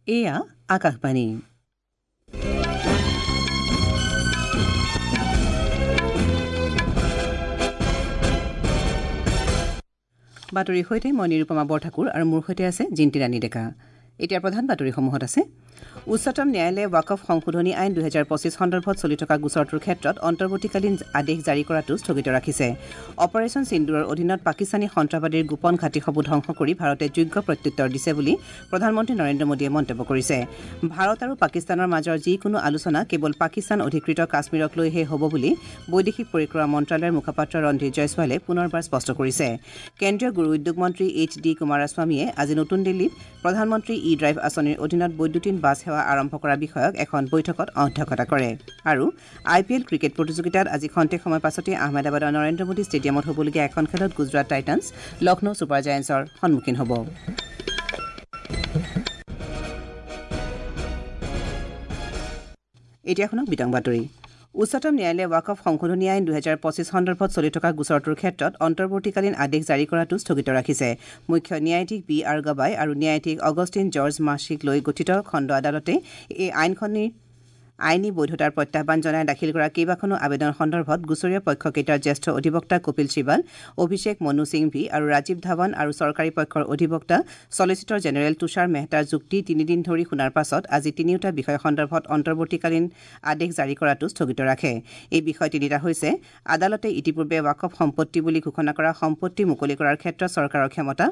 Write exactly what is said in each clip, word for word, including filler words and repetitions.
এয়া আকাশবাণী। বাতৰিৰ সৈতে মই নিৰুপমা বৰঠাকুৰ আৰু মোৰ সৈতে আছে জিন্তি ৰাণী ডেকা। এতিয়া প্ৰধান বাতৰিসমূহত আছে উচ্চতম ন্যায়ালয়ে ৱাকফ সংশোধনী আইন দুহেজাৰ পঁচিছ সন্দৰ্ভত চলি থকা গোচৰটোৰ ক্ষেত্ৰত অন্তৰ্বৰ্তীকালীন আদেশ জাৰি কৰাটো স্থগিত ৰাখিছে। অপাৰেচন সিন্দুৰৰ অধীনত পাকিস্তানী সন্ত্ৰাসবাদীৰ গোপন ঘাটিসমূহ ধ্বংস কৰি ভাৰতে যোগ্য প্ৰত্যুত্তৰ দিছে বুলি প্ৰধানমন্ত্ৰী নৰেন্দ্ৰ মোদীয়ে মন্তব্য কৰিছে। ভাৰত আৰু পাকিস্তানৰ মাজৰ যিকোনো আলোচনা কেৱল পাকিস্তান অধিকৃত কাশ্মীৰক লৈহে হ'ব বুলি বৈদেশিক পৰিক্ৰমা মন্ত্ৰালয়ৰ মুখপাত্ৰ ৰণধীৰ জয়ছৱালে পুনৰবাৰ স্পষ্ট কৰিছে। কেন্দ্ৰীয় গুৰু উদ্যোগ মন্ত্ৰী এইচ ডি কুমাৰস্বামীয়ে আজি নতুন দিল্লীত প্ৰধানমন্ত্ৰী ই ড্ৰাইভ আঁচনিৰ অধীনত বৈদ্যুতিন বাছ সেৱা আৰম্ভ কৰা বিষয়ক এখন বৈঠকত অধ্যক্ষতা কৰে। আৰু আই পি এল ক্ৰিকেট প্ৰতিযোগিতাত আজি খন্তেক সময় পাছতে আহমেদাবাদৰ নৰেন্দ্ৰ মোদী ষ্টেডিয়ামত হ'বলগীয়া এখন খেলত গুজৰাট টাইটানছ লক্ষ্ণৌ ছুপাৰ জায়েণ্টছৰ সন্মুখীন হ'ব। এতিয়া শুনক বিতং বাতৰি। উচ্চতম ন্যায়ালয়ে ৱাকফ সংশোধনী আইন দুহেজাৰ পঁচিছ সন্দৰ্ভত চলি থকা গোচৰটোৰ ক্ষেত্ৰত অন্তৰ্বৰ্তীকালীন আদেশ জাৰি কৰাটো স্থগিত ৰাখিছে। মুখ্য ন্যায়াধীশ বি আৰ গৱাই আৰু ন্যায়াধীশ অগষ্টিন জৰ্জ মাছিক লৈ গঠিত খণ্ড আদালতে এই আইনখনিৰ আইনী বৈধতাৰ প্ৰত্যাহ্বান জনাই দাখিল কৰা কেইবাখনো আবেদন সন্দৰ্ভত গোচৰীয়া পক্ষকেইটাৰ জ্যেষ্ঠ অধিবক্তা কপিল চিবাল, অভিষেক মনু সিংভি আৰু ৰাজীৱ ধাৱান আৰু চৰকাৰী পক্ষৰ অধিবক্তা ছলিচিটৰ জেনেৰেল তুষাৰ মেহতাৰ যুক্তি তিনিদিন ধৰি শুনাৰ পাছত আজি তিনিওটা বিষয় সন্দৰ্ভত অন্তৰ্বৰ্তীকালীন আদেশ জাৰি কৰাটো স্থগিত ৰাখে। এই বিষয় তিনিটা হৈছে আদালতে ইতিপূৰ্বে ৱাকফ সম্পত্তি বুলি ঘোষণা কৰা সম্পত্তি মুকলি কৰাৰ ক্ষেত্ৰত চৰকাৰৰ ক্ষমতা,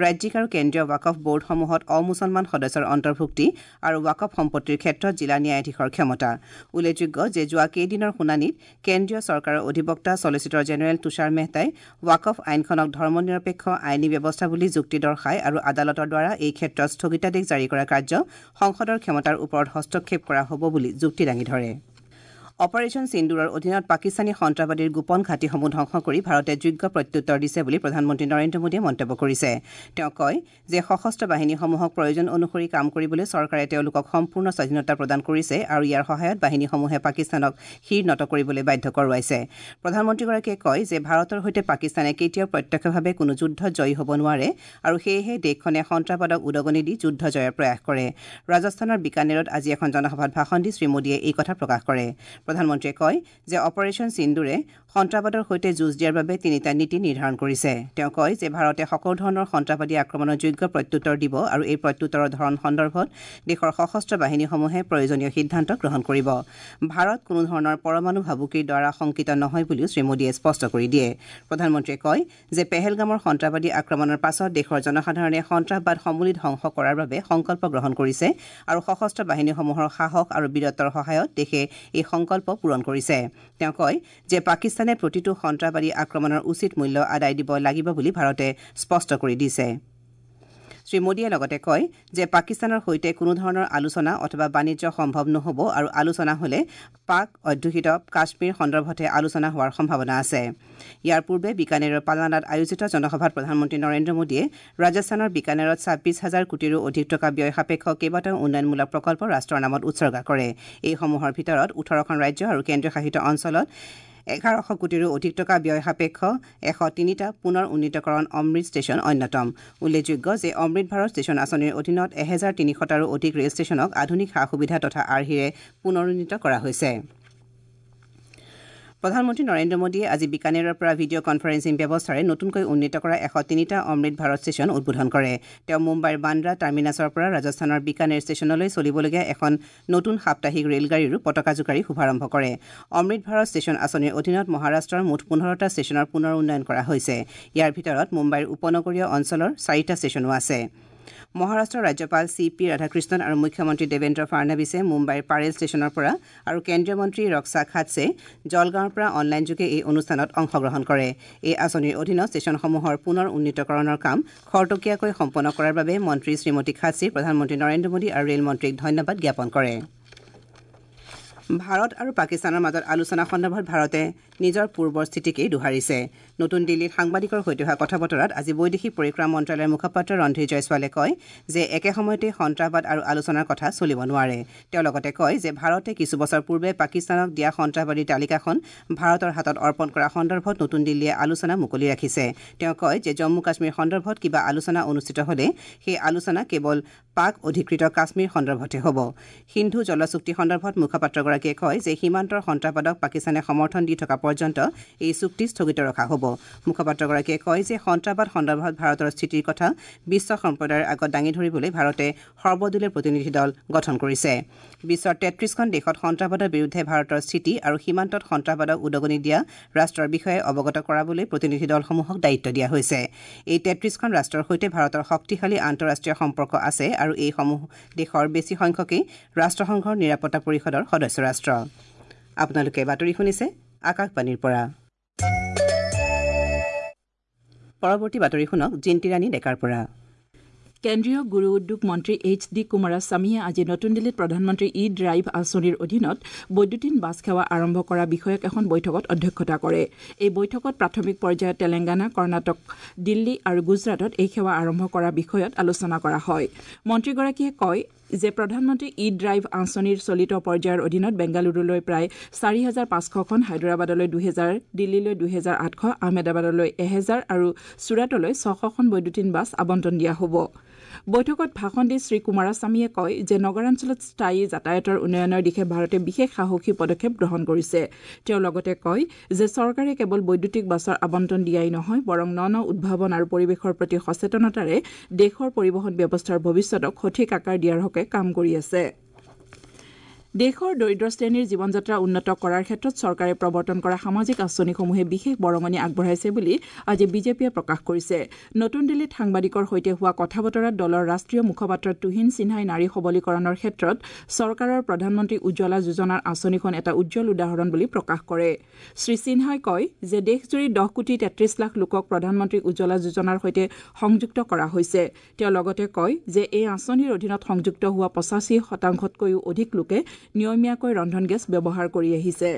ৰাজ্যিক আৰু কেন্দ্ৰীয় ৱাকফ বৰ্ডসমূহত অমুছলমান সদস্যৰ অন্তৰ্ভুক্তি আৰু ৱাকফ সম্পত্তিৰ ক্ষেত্ৰত জিলা ন্যায়াধীশৰ ক্ষমতা। উল্লেখযোগ্য যে যোৱা কেইদিনৰ শুনানিত কেন্দ্ৰীয় চৰকাৰৰ অধিবক্তা ছলিচিটৰ জেনেৰেল তুষাৰ মেহতাই ৱাকফ আইনখনক ধৰ্মনিৰপেক্ষ আইনী ব্যৱস্থা বুলি যুক্তি দৰ্শাই আৰু আদালতৰ দ্বাৰা এই ক্ষেত্ৰত স্থগিতাদেশ জাৰি কৰা কাৰ্য সংসদৰ ক্ষমতাৰ ওপৰত হস্তক্ষেপ কৰা হ'ব বুলি যুক্তি দাঙি ধৰে। অপাৰেচন সিন্দুৰৰ অধীনত পাকিস্তানী সন্ত্ৰাসবাদীৰ গোপন ঘাটিসমূহ ধ্বংস কৰি ভাৰতে যোগ্য প্ৰত্যুত্তৰ দিছে বুলি প্ৰধানমন্ত্ৰী নৰেন্দ্ৰ মোদীয়ে মন্তব্য কৰিছে। তেওঁ কয় যে সশস্ত্ৰ বাহিনীসমূহক প্ৰয়োজন অনুসৰি কাম কৰিবলৈ চৰকাৰে তেওঁলোকক সম্পূৰ্ণ স্বাধীনতা প্ৰদান কৰিছে আৰু ইয়াৰ সহায়ত বাহিনীসমূহে পাকিস্তানক শিৰ নত কৰিবলৈ বাধ্য কৰোৱাইছে। প্ৰধানমন্ত্ৰীগৰাকীয়ে কয় যে ভাৰতৰ সৈতে পাকিস্তানে কেতিয়াও প্ৰত্যক্ষভাৱে কোনো যুদ্ধত জয়ী হ'ব নোৱাৰে আৰু সেয়েহে দেশখনে সন্ত্ৰাসবাদক উদগনি দি যুদ্ধ জয়ৰ প্ৰয়াস কৰে। ৰাজস্থানৰ বিকানেৰত আজি এখন জনসভাত ভাষণ দি শ্ৰীমোদীয়ে এই কথা প্ৰকাশ কৰে। প্ৰধানমন্ত্ৰীয়ে কয় যে অপাৰেচন সিন্দুৰে সন্ত্ৰাসবাদৰ সৈতে যুঁজ দিয়াৰ বাবে তিনিটা নীতি নিৰ্ধাৰণ কৰিছে। তেওঁ কয় যে ভাৰতে সকলো ধৰণৰ সন্ত্ৰাসবাদী আক্ৰমণৰ যোগ্য প্ৰত্যুত্তৰ দিব আৰু এই প্ৰত্যুত্তৰৰ ধৰণ সন্দৰ্ভত দেশৰ সশস্ত্ৰ বাহিনীসমূহে প্ৰয়োজনীয় সিদ্ধান্ত গ্ৰহণ কৰিব। ভাৰত কোনো ধৰণৰ পৰমাণু ভাবুকিৰ দ্বাৰা শংকিত নহয় বুলিও শ্ৰীমোদীয়ে স্পষ্ট কৰি দিয়ে। প্ৰধানমন্ত্ৰীয়ে কয় যে পেহেলগামৰ সন্ত্ৰাসবাদী আক্ৰমণৰ পাছত দেশৰ জনসাধাৰণে সন্ত্ৰাসবাদ সমূলি ধ্বংস কৰাৰ বাবে সংকল্প গ্ৰহণ কৰিছে আৰু সশস্ত্ৰ বাহিনীসমূহৰ সাহস আৰু বীৰত্বৰ সহায়ত দেশে এই সংকল্প পূৰণ কৰিছে। তেওঁ কয় যে পাকিস্তানে প্ৰতিটো সন্ত্ৰাসবাদী আক্ৰমণৰ উচিত মূল্য আদায় দিব লাগিব বুলি ভাৰতে স্পষ্ট কৰি দিছে। শ্ৰীমোদীয়ে লগতে কয় যে পাকিস্তানৰ সৈতে কোনো ধৰণৰ আলোচনা অথবা বাণিজ্য সম্ভৱ নহ'ব আৰু আলোচনা হ'লে পাক অধ্যুষিত কাশ্মীৰ সন্দৰ্ভতহে আলোচনা হোৱাৰ সম্ভাৱনা আছে। ইয়াৰ পূৰ্বে বিকানেৰৰ পালানাত আয়োজিত জনসভাত প্ৰধানমন্ত্ৰী নৰেন্দ্ৰ মোদীয়ে ৰাজস্থানৰ বিকানেৰত ছাব্বিছ হাজাৰ কোটিৰো অধিক টকা ব্যয় সাপেক্ষ কেইবাটাও উন্নয়নমূলক প্ৰকল্প ৰাষ্ট্ৰৰ নামত উৎসৰ্গা কৰে। এইসমূহৰ ভিতৰত ওঠৰখন ৰাজ্য আৰু কেন্দ্ৰীয়শাসিত অঞ্চলত এঘাৰশ কোটিৰো অধিক টকা ব্যয় সাপেক্ষ এশ তিনিটা পুনৰ উন্নীতকৰণ অমৃত ষ্টেচন অন্যতম। উল্লেখযোগ্য যে অমৃত ভাৰত ষ্টেচন আঁচনিৰ অধীনত এহেজাৰ তিনিশটাৰো অধিক ৰেল ষ্টেচনক আধুনিক সা সুবিধা তথা আৰ্হিৰে পুনৰুন্নীত কৰা হৈছে। প্ৰধানমন্ত্ৰী নৰেন্দ্ৰ মোদীয়ে আজি বিকানেৰৰ পৰা ভিডিঅ' কনফাৰেন্সিং ব্যৱস্থাৰে নতুনকৈ উন্নীত কৰা এশ তিনিটা অমৃত ভাৰত ষ্টেচন উদ্বোধন কৰে। তেওঁ মুম্বাইৰ বান্দ্ৰা টাৰ্মিনাছৰ পৰা ৰাজস্থানৰ বিকানেৰ ষ্টেচনলৈ চলিবলগীয়া এখন নতুন সাপ্তাহিক ৰেলগাড়ীৰো পতাকা জোকাৰি শুভাৰম্ভ কৰে। অমৃত ভাৰত ষ্টেচন আঁচনিৰ অধীনত মহাৰাষ্ট্ৰৰ মুঠ পোন্ধৰটা ষ্টেচনৰ পুনৰ উন্নয়ন কৰা হৈছে। ইয়াৰ ভিতৰত মুম্বাইৰ উপনগৰীয় অঞ্চলৰ চাৰিটা ষ্টেচনো আছে। মহাৰাষ্ট্ৰৰ ৰাজ্যপাল চি পি ৰাধাকৃষ্ণন আৰু মুখ্যমন্ত্ৰী দেৱেন্দ্ৰ ফাড়নাবিছে মুম্বাইৰ পাৰেল ষ্টেচনৰ পৰা আৰু কেন্দ্ৰীয় মন্ত্ৰী ৰক্সা খাটছে জলগাঁৱৰ পৰা অনলাইনযোগে এই অনুষ্ঠানত অংশগ্ৰহণ কৰে। এই আঁচনিৰ অধীনত ষ্টেচনসমূহৰ পুনৰ উন্নীতকৰণৰ কাম খৰতকীয়াকৈ সম্পন্ন কৰাৰ বাবে মন্ত্ৰী শ্ৰীমতী খাটছে প্ৰধানমন্ত্ৰী নৰেন্দ্ৰ মোদী আৰু ৰেল মন্ত্ৰীক ধন্যবাদ জ্ঞাপন কৰে। ভাৰত আৰু পাকিস্তানৰ মাজত আলোচনা সন্দৰ্ভত ভাৰতে নিজৰ পূৰ্বৰ স্থিতিকেই দোহাৰিছে। নতুন দিল্লীত সাংবাদিকৰ সৈতে হোৱা কথা বতৰাত আজি বৈদেশিক পৰিক্ৰমা মন্ত্ৰালয়ৰ মুখপাত্ৰ ৰণধীৰ জয়ছোৱালে কয় যে একে সময়তে সন্ত্ৰাসবাদ আৰু আলোচনাৰ কথা চলিব নোৱাৰে। তেওঁ লগতে কয় যে ভাৰতে কিছু বছৰ পূৰ্বে পাকিস্তানক দিয়া সন্ত্ৰাসবাদীৰ তালিকাখন ভাৰতৰ হাতত অৰ্পণ কৰা সন্দৰ্ভত নতুন দিল্লীয়ে আলোচনা মুকলি ৰাখিছে। তেওঁ কয় যে জম্মু কাশ্মীৰ সন্দৰ্ভত কিবা আলোচনা অনুষ্ঠিত হ'লে সেই আলোচনা কেৱল পাক অধিকৃত কাশ্মীৰ সন্দৰ্ভতহে হ'ব। সিন্ধু জল চুক্তি সন্দৰ্ভত মুখপাত্ৰগৰাকীয়ে কয় যে সীমান্তৰ সন্ত্ৰাসবাদক পাকিস্তানে সমৰ্থন দি থকা পৰ্যন্ত এই চুক্তি স্থগিত ৰখা হ'ব। মুখপাত্ৰগৰাকীয়ে কয় যে সন্ত্ৰাসবাদ সন্দৰ্ভত ভাৰতৰ স্থিতিৰ কথা বিশ্ব সম্প্ৰদায়ৰ আগত দাঙি ধৰিবলৈ ভাৰতে সৰ্বদলীয় প্ৰতিনিধি দল গঠন কৰিছে। বিশ্বৰ তেত্ৰিশখন দেশত সন্ত্ৰাসবাদৰ বিৰুদ্ধে ভাৰতৰ স্থিতি আৰু সীমান্তত সন্ত্ৰাসবাদক উদগনি দিয়া ৰাষ্ট্ৰৰ বিষয়ে অৱগত কৰাবলৈ প্ৰতিনিধি দলসমূহক দায়িত্ব দিয়া হৈছে। এই তেত্ৰিশখন ৰাষ্ট্ৰৰ সৈতে ভাৰতৰ শক্তিশালী আন্তঃৰাষ্ট্ৰীয় সম্পৰ্ক আছে আৰু এইসমূহ দেশৰ বেছি সংখ্যকেই ৰাষ্ট্ৰসংঘৰ নিৰাপত্তা পৰিষদৰ সদস্য ৰাষ্ট্ৰ। আপোনালোকে বাতৰি শুনিছে আকাশবাণীৰ পৰা। পৰৱৰ্তী বাতৰি শুনক জিন্তিৰাণী ডেকাৰ পৰা। কেন্দ্ৰীয় গুৰু উদ্যোগ মন্ত্ৰী এইচ ডি কুমাৰস্বামীয়ে আজি নতুন দিল্লীত প্ৰধানমন্ত্ৰী ই ড্ৰাইভ আঁচনিৰ অধীনত বৈদ্যুতিন বাছ সেৱা আৰম্ভ কৰা বিষয়ক এখন বৈঠকত অধ্যক্ষতা কৰে। এই বৈঠকত প্ৰাথমিক পৰ্যায়ত তেলেংগানা, কৰ্ণাটক, দিল্লী আৰু গুজৰাটত এই সেৱা আৰম্ভ কৰা বিষয়ত আলোচনা কৰা হয়। মন্ত্ৰীগৰাকীয়ে কয় যে প্ৰধানমন্ত্ৰী ই ড্ৰাইভ আঁচনিৰ চলিত পৰ্যায়ৰ অধীনত বেংগালুৰুলৈ প্ৰায় চাৰি হাজাৰ পাঁচশখন, হায়দৰাবাদলৈ দুহেজাৰ, দিল্লীলৈ দুহেজাৰ আঠশ, আহমেদাবাদলৈ এহেজাৰ আৰু চুৰাটলৈ ছশখন বৈদ্যুতিন বাছ আবণ্টন দিয়া হ'ব। বৈঠকত ভাষণ দি শ্ৰী কুমাৰস্বামীয়ে কয় যে নগৰাঞ্চলত স্থায়ী যাতায়াতৰ উন্নয়নৰ দিশে ভাৰতে বিশেষ সাহসী পদক্ষেপ গ্ৰহণ কৰিছে। তেওঁ লগতে কয় যে চৰকাৰে কেৱল বৈদ্যুতিক বাছৰ আবণ্টন দিয়াই নহয়, বৰং ন ন উদ্ভাৱন আৰু পৰিৱেশৰ প্ৰতি সচেতনতাৰে দেশৰ পৰিবহণ ব্যৱস্থাৰ ভৱিষ্যতক সঠিক আকাৰ দিয়াৰ হকে কাম কৰি আছে। দেশৰ দৰিদ্ৰ শ্ৰেণীৰ জীৱনযাত্ৰা উন্নত কৰাৰ ক্ষেত্ৰত চৰকাৰে প্ৰৱৰ্তন কৰা সামাজিক আঁচনিসমূহে বিশেষ বৰঙণি আগবঢ়াইছে বুলি আজি বিজেপিয়ে প্ৰকাশ কৰিছে। নতুন দিল্লীত সাংবাদিকৰ সৈতে হোৱা কথা বতৰাত দলৰ ৰাষ্ট্ৰীয় মুখপাত্ৰ তুহিন সিনহাই নাৰী সবলীকৰণৰ ক্ষেত্ৰত চৰকাৰৰ প্ৰধানমন্ত্ৰী উজ্জ্বলা যোজনাৰ আঁচনিখন এটা উজ্জ্বল উদাহৰণ বুলি প্ৰকাশ কৰে। শ্ৰী সিনহাই কয় যে দেশজুৰি দহ কোটি তেত্ৰিশ লাখ লোকক প্ৰধানমন্ত্ৰী উজ্জ্বলা যোজনাৰ সৈতে সংযুক্ত কৰা হৈছে। তেওঁ লগতে কয় যে এই আঁচনিৰ অধীনত সংযুক্ত হোৱা পঁচাশী শতাংশতকৈও অধিক লোকে নিয়মীয়াকৈ ৰন্ধন গেছ ব্যৱহাৰ কৰি আহিছে।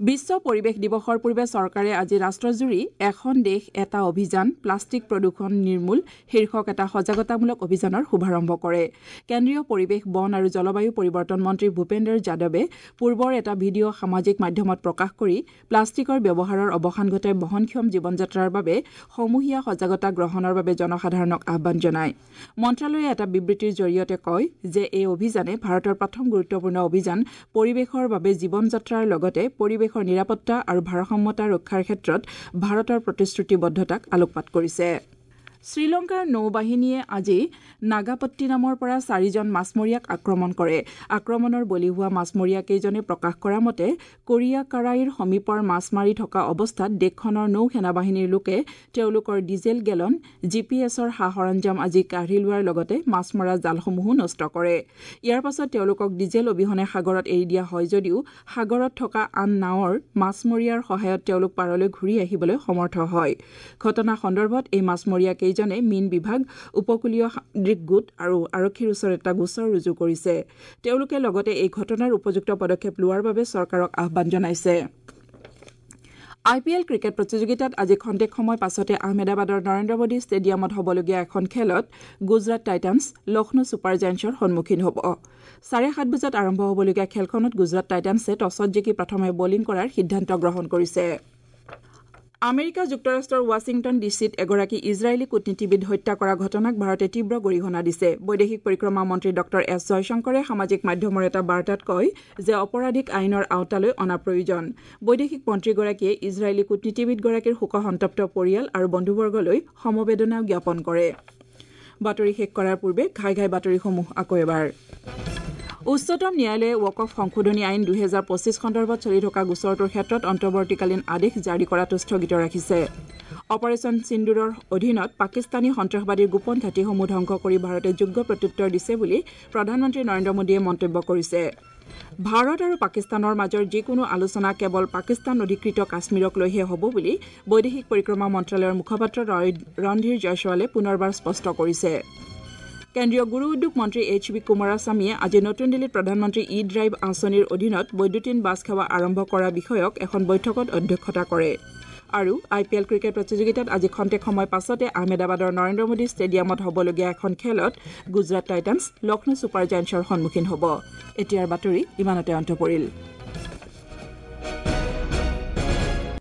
বিশ্ব পৰিৱেশ দিৱসৰ পূৰ্বে চৰকাৰে আজি ৰাষ্ট্ৰজুৰি এখন দেশ এটা অভিযান প্লাষ্টিক প্ৰদূষণ নিৰ্মূল শীৰ্ষক এটা সজাগতামূলক অভিযানৰ শুভাৰম্ভ কৰে। কেন্দ্ৰীয় পৰিৱেশ, বন আৰু জলবায়ু পৰিৱৰ্তন মন্ত্ৰী ভূপেন্দ্ৰ যাদৱে পূৰ্বৰ এটা ভিডিঅ' সামাজিক মাধ্যমত প্ৰকাশ কৰি প্লাষ্টিকৰ ব্যৱহাৰৰ অৱসান ঘটাই বহনক্ষম জীৱনযাত্ৰাৰ বাবে সমূহীয়া সজাগতা গ্ৰহণৰ বাবে জনসাধাৰণক আহ্বান জনায়। মন্ত্ৰালয়ে এটা বিবৃতিৰ জৰিয়তে কয় যে এই অভিযানে ভাৰতৰ প্ৰথম গুৰুত্বপূৰ্ণ অভিযান পৰিৱেশৰ বাবে জীৱনযাত্ৰাৰ লগতে পৰিৱেশ নিৰাপত্তা আৰু ভাৰসাম্যতা ৰক্ষাৰ ক্ষেত্ৰত ভাৰতৰ প্ৰতিশ্ৰুতিবদ্ধতাক আলোকপাত কৰিছে। শ্ৰীলংকাৰ নৌবাহিনীয়ে আজি নাগাপট্টিনামৰ পৰা চাৰিজন মাছমৰীয়াক আক্ৰমণ কৰে। আক্ৰমণৰ বলি হোৱা মাছমৰীয়াকেইজনে প্ৰকাশ কৰা মতে কোৰিয়াকাৰাইৰ সমীপৰ মাছ মাৰি থকা অৱস্থাত দেশখনৰ নৌ সেনাবাহিনীৰ লোকে তেওঁলোকৰ ডিজেল গেলন, জি পি এছৰ সা সৰঞ্জাম আদি কাঢ়ি লোৱাৰ লগতে মাছ মৰা জালসমূহো নষ্ট কৰে। ইয়াৰ পাছত তেওঁলোকক ডিজেল অবিহনে সাগৰত এৰি দিয়া হয় যদিও সাগৰত থকা আন নাৱৰ মাছমৰীয়াৰ সহায়ত তেওঁলোক পাৰলৈ ঘূৰি আহিবলৈ সমৰ্থ হয়। ঘটনা সন্দৰ্ভত এই মাছমৰীয়াকেইজন মীন বিভাগ, উপকূলীয় সামুদ্ৰিক গোট আৰু আৰক্ষীৰ ওচৰত এটা গোচৰ ৰুজু কৰিছে। তেওঁলোকে লগতে এই ঘটনাৰ উপযুক্ত পদক্ষেপ লোৱাৰ বাবে চৰকাৰক আহ্বান জনাইছে। আই পি এল ক্ৰিকেট প্ৰতিযোগিতাত আজি খন্তেক সময় পাছতে আহমেদাবাদৰ নৰেন্দ্ৰ মোদী ষ্টেডিয়ামত হ'বলগীয়া এখন খেলত গুজৰাট টাইটানছ লক্ষ্ণৌ ছুপাৰ জায়েণ্টছৰ সন্মুখীন হ'ব। চাৰে সাত বজাত আৰম্ভ হ'বলগীয়া খেলখনত গুজৰাট টাইটানছে টছত জিকি প্ৰথমে বলিং কৰাৰ সিদ্ধান্ত গ্ৰহণ কৰিছে। আমেৰিকা যুক্তৰাষ্ট্ৰৰ ৱাশ্বিংটন ডি চিত এগৰাকী ইজৰাইলী কূটনীতিবিদ হত্যা কৰা ঘটনাক ভাৰতে তীব্ৰ গৰিহণা দিছে। বৈদেশিক পৰিক্ৰমা মন্ত্ৰী ডক্টৰ এছ জয়শংকৰে সামাজিক মাধ্যমৰ এটা বাৰ্তাত কয় যে অপৰাধীক আইনৰ আওতালৈ অনা প্ৰয়োজন। বৈদেশিক মন্ত্ৰীগৰাকীয়ে ইজৰাইলী কূটনীতিবিদগৰাকীৰ শোকসন্তপ্ত পৰিয়াল আৰু বন্ধুবৰ্গলৈ সমবেদনাও জ্ঞাপন কৰে। বাতৰি শেষ কৰাৰ পূৰ্বে ঘাই ঘাই বাতৰিসমূহ আকৌ এবাৰ। উচ্চতম ন্যায়ালয়ে ৱাকফ সংশোধনী আইন দুহেজাৰ পঁচিছ সন্দৰ্ভত চলি থকা গোচৰটোৰ ক্ষেত্ৰত অন্তৰ্বৰ্তীকালীন আদেশ জাৰি কৰাটো স্থগিত ৰাখিছে। অপাৰেচন সিন্দুৰৰ অধীনত পাকিস্তানী সন্ত্ৰাসবাদীৰ গোপন ঘাটিসমূহ ধ্বংস কৰি ভাৰতে যোগ্য প্ৰত্যুত্তৰ দিছে বুলি প্ৰধানমন্ত্ৰী নৰেন্দ্ৰ মোদীয়ে মন্তব্য কৰিছে। ভাৰত আৰু পাকিস্তানৰ মাজৰ যিকোনো আলোচনা কেৱল পাকিস্তান অধিকৃত কাশ্মীৰক লৈহে হ'ব বুলি বৈদেশিক পৰিক্ৰমা মন্ত্ৰালয়ৰ মুখপাত্ৰ ৰণধীৰ জয়ছোৱালে পুনৰবাৰ স্পষ্ট কৰিছে। কেন্দ্ৰীয় গুৰু উদ্যোগ মন্ত্ৰী এইচ বি কুমাৰাস্বামীয়ে আজি নতুন দিল্লীত প্ৰধানমন্ত্ৰী ই ড্ৰাইভ আঁচনিৰ অধীনত বৈদ্যুতিন বাছ সেৱা আৰম্ভ কৰা বিষয়ক এখন বৈঠকত অধ্যক্ষতা কৰে। আৰু আই পি এল ক্ৰিকেট প্ৰতিযোগিতাত আজি খন্তেক সময় পাছতে আহমেদাবাদৰ নৰেন্দ্ৰ মোদী ষ্টেডিয়ামত হ'বলগীয়া এখন খেলত গুজৰাট টাইটানছ লক্ষ্ণৌ ছুপাৰ জায়েণ্টছৰ সন্মুখীন হ'ব। এতিয়াৰ বাতৰি ইমানতে অন্ত পৰিল।